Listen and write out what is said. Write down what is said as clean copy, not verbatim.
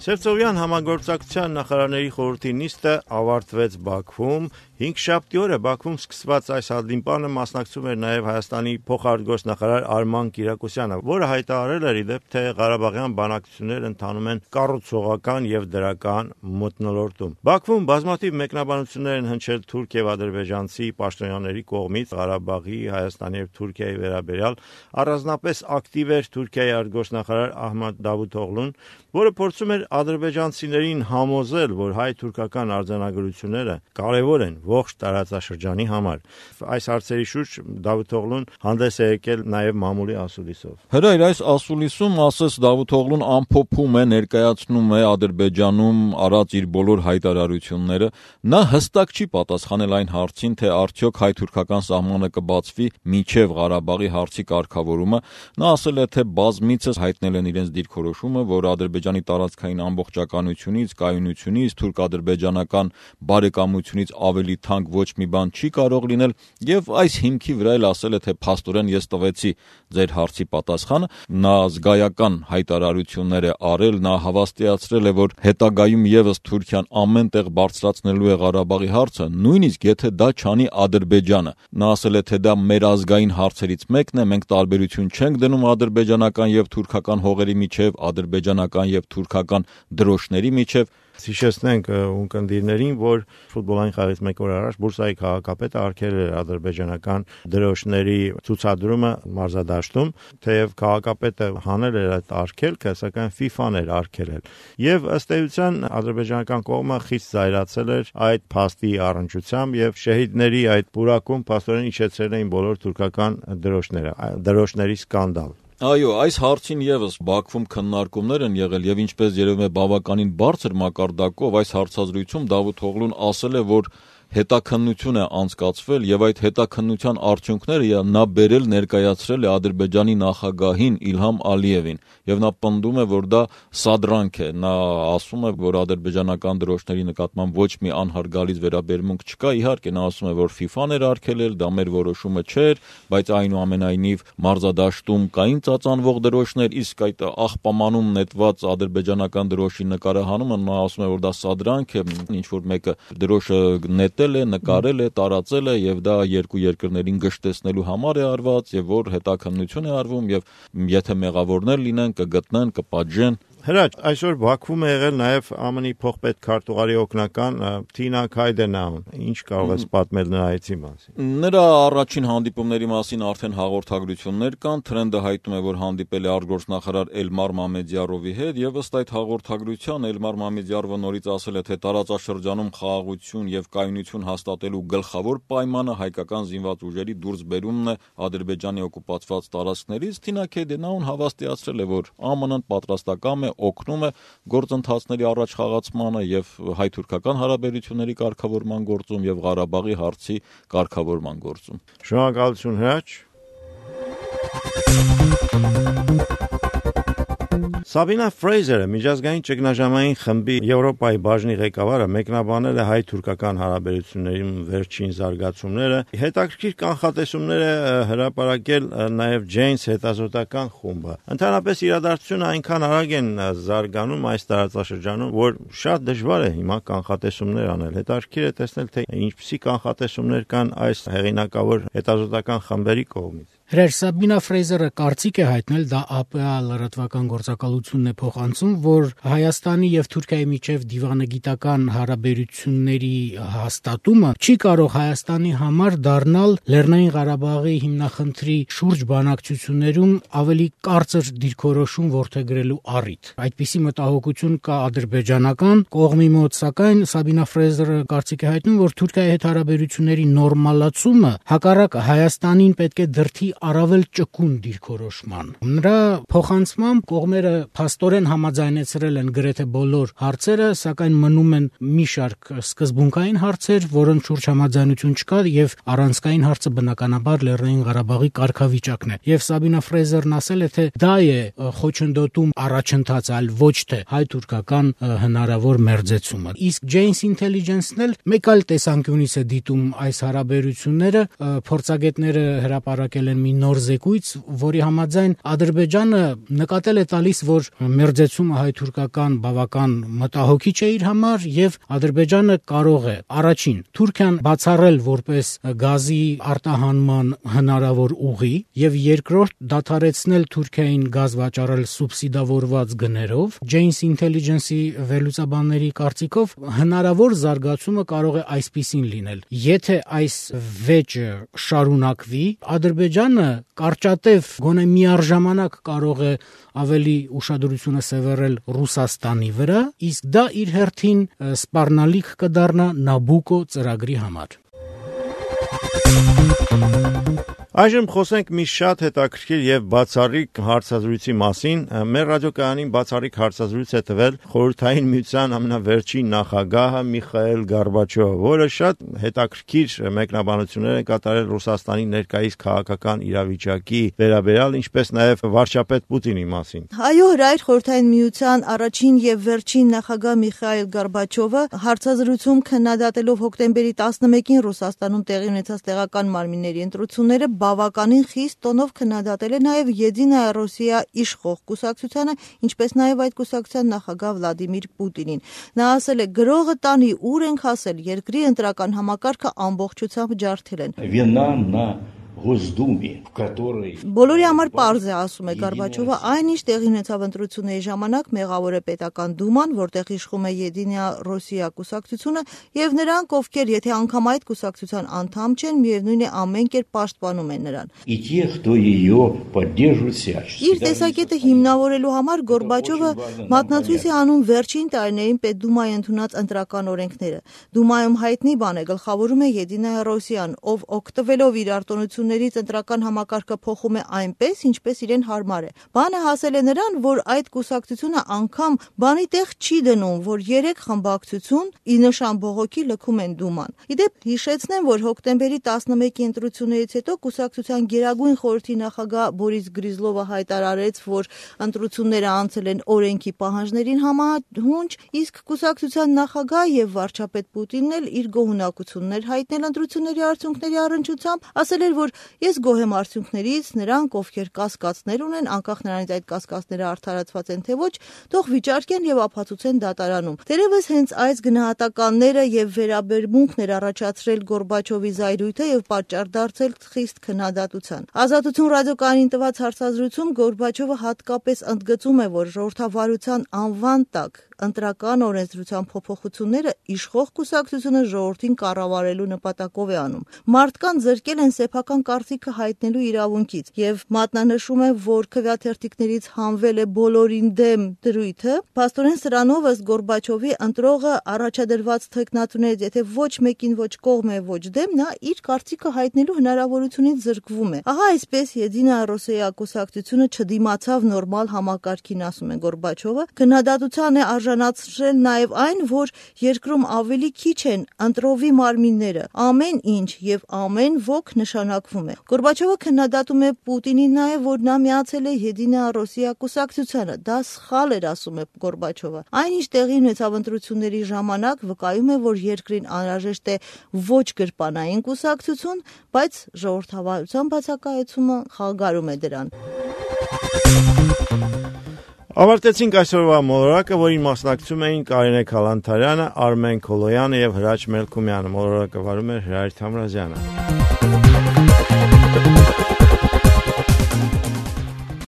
Սևծովյան համագործակցության նախարարների խորհրդի նիստը ավարտվեց Բաքվում։ 5-շաբթի օրը Բաքվում սկսված այս հանդիպանը մասնակցում էր նաև Հայաստանի փոխարտգործնախարար Արման Կիրակոսյանը, որը հայտարարել էր իդեպ, թե Ղարաբաղյան բանակցությունները ընթանում են կառուցողական եւ դրական մթնոլորտում։ Բաքվում բազմաթիվ մեկնաբանություններ են հնչել թուրք եւ ադրբեջանցի պաշտոնյաների կողմից Ղարաբաղի, Հայաստանի եւ Թուրքիայի վերաբերյալ, առանձնապես ակտիվ էր Թուրքիայի արտգործնախարար Ահմեդ Դավութօղլուն, որը փորձում էր ադրբեջանցիներին համոզել, որ հայ-թուրքական արձանագրությունները կարևոր են ողջ տարածաշրջանի համար։ Այս հարցերի շուրջ Դավութօղլուն հանդես է եկել նաև մամուլի ասուլիսով։ Հրայր, այս ասուլիսում ասես Դավութօղլուն ամփոփում է, ներկայացնում է Ադրբեջանում արած իր բոլոր հայտարարությունները։ Նա հստակ չի պատասխանել այն հարցին, թե արդյոք հայ-թուրքական սահմանը կբացվի մինչև Ղարաբաղի հարցի կարգավորումը։ Նա ասել է, թե բազմիցս հայտնել են իրենց դիրքորոշումը, որ Ադրբեջանի տարածքային ամբողջականությունից, կայունությունից, թուրք-ադրբեջանական բարեկամությունից ավելի թանկ ոչ մի բան չի կարող լինել, եւ այս հիմքի վրա էլ ասել է, թե փաստորեն ես տվեցի ձեր հարցի պատասխանը։ Նա զգայական հայտարարություններ է արել, նա հավաստիացրել է, որ հետագայում եւս Թուրքիան ամեն տեղ բարձրացնելու է Ղարաբաղի հարցը, նույնիսկ եթե դա չանի Ադրբեջանը։ Նա ասել է, թե դա մեր ազգային հարցերից մեկն է, մենք տարբերություն չենք դնում ադրբեջանական եւ թուրքական հողերի միջև, ադրբեջանական եւ թուրքական դրոշների միջև։ Հիշեցնենք ունկնդիրներին, որ ֆուտբոլային խաղից մեկ օր առաջ Բուրսայի քաղաքապետը արգելել էր ադրբեջանական դրոշների ցուցադրումը մարզադաշտում, թեև քաղաքապետը հանել էր այդ արգելքը, սակայն FIFA-ն էր արգելել։ Եվ ըստ էության ադրբեջանական կողմը խիստ զայրացել էր այդ փաստի առնչությամբ եւ շահիդների այդ պուրակում փաստորեն իջեցրել էին բոլոր թուրքական դրոշների սկանդալ։ Այո, այս հարցին եւս Բաքվում քննարկումներ են եղել եւ ինչպես երևում է բավականին բարձր մակարդակով այս հարցազրույցում Դավութօղլուն ասել է, որ հետաքննություն է անցկացվել եւ այդ հետաքննության արդյունքները նա բերել ներկայացրել է Ադրբեջանի նախագահին Իլհամ Ալիևին եւ նա պնդում է, որ դա սադրանք է։ Նա ասում է, որ ադրբեջանական դրոշների նկատմամբ ոչ մի անհարգալից վերաբերմունք չկա։ Իհարկե նա ասում է, որ FIFA-ն էր արգելել, դա մեր որոշումը չէր, բայց այնուամենայնիվ մարզադաշտում կային ծածանվող դրոշներ, իսկ այդ աղբամանում նետված ադրբեջանական դրոշի նկարահանումը նա ասում է, որ դա սադրանք է, ինչ որ մեկը դրոշը նետել է, նկարել է, տարածել է եւ դա երկու երկրներին գժտեցնելու համար է արված եւ որ հետաքննություն է արվում եւ եթե մեղավորներ լինեն կգտնեն, կպատժեն։ Հրաչ, այսօր Բաքվում է եղել նաև ԱՄՆ-ի փոխպետ քարտուղարի օգնական Թինա Քայդենաուն։ Ինչ կարող ես պատմել նրա այցի մասին։ Նրա առաջին հանդիպումների մասին արդեն հաղորդագրություններ կան, թրենդը հայտնում է, որ հանդիպել է արտգործնախարար Էլմար Մամեդյարովի հետ եւ ըստ այդ հաղորդագրության Էլմար Մամեդյարովը նորից ասել է, թե տարածաշրջանում խաղաղություն եւ կայունություն հաստատելու գլխավոր պայմանը հայկական զինված ուժերի դուրսբերումն է Ադրբեջանի օկուպացված տարածքներից։ Թինա Քայդենաուն հավաստիացրել է, որ ԱՄՆ-ն պատրաստակամ է օգնում է գործընթացների առաջ խաղացմանը եւ հայ-թուրքական հարաբերությունների կարգավորման գործում եւ Ղարաբաղի հարցի կարգավորման գործում։ Շնորհակալություն, Հրաչ։ Սաբինա Ֆրեյզերը, միջազգային ճգնաժամային խմբի Եվրոպայի բաժնի ղեկավարը, մեկնաբանել է հայ-թուրքական հարաբերությունների վերջին զարգացումները, հետաքրքիր կանխատեսումներ է հրապարակել նաև Janes հետազոտական խումբը։ Ընդհանրապես իրադարձությունը այնքան արագ են զարգանում այս տարածաշրջանում, որ շատ դժվար է հիմա կանխատեսումներ անել։ Հետաքրքիր է տեսնել, թե ինչպիսի կանխատեսումներ կան այս հեղինակավոր հետազոտական խմբերի կողմից։ Հրեր Սաբինա Ֆրեյզերը կարծիք է հայտնել, դա ԱՊԱ լրատվական գործակալությունն է փոխանցում, որ Հայաստանի եւ Թուրքիայի միջև դիվանագիտական հարաբերությունների հաստատումը չի կարող Հայաստանի համար դառնալ Լեռնային Ղարաբաղի հիմնախնդրի շուրջ բանակցություններում ավելի կարծր դիրքորոշում որդեգրելու առիթ։ Այդպիսի մտահոգություն կա ադրբեջանական կողմի մոտ, սակայն Սաբինա Ֆրեյզերը կարծիք է հայտնում, որ Թուրքիայի հետ հարաբերությունների նորմալացումը հակառակ Հայաստանին պետք է դրդի առավել ճկուն դիրքորոշման։ Նրա փոխանցմամբ կողմերը փաստորեն համաձայնեցրել են գրեթե բոլոր հարցերը, սակայն մնում են մի շարք սկզբունքային հարցեր, որոնց շուրջ համաձայնություն չկա եւ առանցքային հարցը բնականաբար Լեռնային Ղարաբաղի կարգավիճակն է։ Եվ Սաբինա Ֆրեյզերն ասել է, թե դա է խոչընդոտում առաջընթաց, այլ ոչ թե հայ-թուրքական հնարավոր մերձեցումը։ Իսկ Janes Intelligence-ն էլ մեկ այլ տեսանկյունից է դիտում այս հարաբերությունները, փորձագետները հրապարակել են մի նոր զեկույց, որի համաձայն Ադրբեջանը նկատել է տալիս, որ մերձեցումը հայ-թուրքական բավական մտահոգիչ է իր համար եւ Ադրբեջանը կարող է առաջին Թուրքիան բացառել որպես գազի արտահանման հնարավոր ուղի եւ երկրորդ դադարեցնել Թուրքիային գազ վաճառել սուբսիդավորված գներով։ Janes Intelligence-ի վերլուծաբանների կարծիքով հնարավոր զարգացումը կարող է այսպիսին լինել. եթե այս վեճը շարունակվի, Ադրբեջանը կարճատև գոնե միառժամանակ կարող է ավելի ուշադրությունը սևեռել Ռուսաստանի վրա, իսկ դա իր հերթին սպառնալիք կդառնա Նաբուկո ծրագրի համար։ Այժմ խոսենք մի շատ հետաքրքիր եւ բացառիկ հարցազրույցի մասին։ Մեր ռադիոկայանին բացառիկ հարցազրույց է տվել Խորհրդային Միության ամենավերջին նախագահը Միխայել Գորբաչովը, որը շատ հետաքրքիր մեկնաբանություններ է կատարել Ռուսաստանի ներկայիս քաղաքական իրավիճակի վերաբերյալ, ինչպես նաեւ վարչապետ Պուտինի մասին։ Այո, հրայր Խորհրդային Միության առաջին եւ վերջին նախագահ Միխայել Գորբաչովը հարցազրույցում քննադատելով հոկտեմբերի 11-ին Ռուսաստանում տեղի ունեցած տեղական մարմինների ընտրությունները բավականին խիստ տոնով քննադատել է նաև Եդինայա Ռոսիա իշխող կուսակցությանը, ինչպես նաև այդ կուսակցության նախագահ Վլադիմիր Պուտինին։ Նա ասել է. «Գրողը տանի ուր ենք հասել, երկրի ընտրական համակարգը ամբողջությամբ ջարդել են»։ Բոլորի համար պարզ է, ասում է Գորբաչովը, այնինչ տեղի ունեցավ ընտրությունների ժամանակ մեղավոր է պետական դուման, որտեղ իշխում է Եդինայա Ռոսիա կուսակցությունը, եւ նրանք, ովքեր եթե անգամ այդ կուսակցության անդամ չեն, միևնույն է ամեն կերպ պաշտպանում են նրան։ Իր տեսակետը հիմնավորելու համար Գորբաչովը մատնացույց է անում վերջին տարիներին Պետդումայի ընդունած ընտրական օրենքները։ Դումայում հայտնի բան է, գլխավորում է Եդինայա Ռոսիան, ով օգտվելով իր արտոնություններից ընտրական համակարգը փոխում է այնպես, ինչպես իրեն հարմար է։ Բանը հասել է նրան, որ այդ կուսակցությունը անգամ բանի տեղ չի դնում, որ 3 խմբակցություն ի նշան բողոքի լքում են Դուման։ Իդեպ հիշեցնեմ, որ հոկտեմբերի 11-ի ընտրություններից հետո կուսակցության Գերագույն խորհրդի նախագահ Բորիս Գրիզլովը հայտարարեց, որ ընտրությունները անցել են օրենքի պահանջներին համահունչ, իսկ կուսակցության նախագահ եւ վարչապետ Պուտինն էլ իր գոհունակություններ հայտնել ընտրությունների արդյունքների առնչությամբ, ասել էր, որ ես գոհ եմ արդյունքներից, նրանք, ովքեր կասկածներ ունեն, անկախ նրանից այդ կասկածները արդարացված են թե ոչ, թող վիճարկեն եւ ապացուցեն դատարանում։ Թերևս հենց այս գնահատականները եւ վերաբերմունքներ առաջացրել Գորբաչովի զայրույթը եւ պատճառ դարձել խիստ քննադատության։ Ազատություն ռադիոկայանին տված հարցազրույցում Գորբաչովը հատկապես ընդգծում է, որ ժողովրդավարության անվան տակ ընտրական օրենսդրության փոփոխությունները իշխող կուսակցությունը ժողովրդին կառավարելու նպատակով է անում։ Մարդկան զրկել են սեփական կարծիքը հայտնելու իրավունքից եւ մատնանշում է, որ քվեաթերթիկներից հանվել է բոլորին դեմ դրույթը։ Փաստորեն սրանով ըստ Գորբաչովի ընտրողը առաջադրված թեկնածուներից եթե ոչ մեկին ոչ կողմ է ոչ դեմ, նա իր կարծիքը հայտնելու հնարավորությունից զրկվում է։ Ահա այսպես Եդինայա Ռոսիա կուսակցությունը չդիմացավ նորմալ համակարգին, ասում է Գորբաչովը։ Քննադատության է արժանացրել նաև այն, որ երկրում ավելի քիչ են ընտրովի մարմինները, ամեն ինչ եւ ամեն ոք նշանակվում է։ Գորբաչովը քննադատում է Պուտինին նաև, որ նա միացել է Եդինայա Ռոսիա կուսակցությանը։ Դա սխալ էր, ասում է Գորբաչովը։ Այնինչ տեղի ունեցավ ընտրությունների ժամանակ, վկայում է, որ երկրին անհրաժեշտ է ոչ գրպանային կուսակցություն, բայց ժողովրդավարության բացակայությունը խանգարում է դրան։ Ավարտեցինք այսօրվա մոլորակը, որին մասնակցում էին Կարինե Քալանթարյանը, Արմեն Քոլոյանը եւ Հրաչ Մելքումյանը։ Մոլորակը վարում էր Հրայր Թամրազյանը։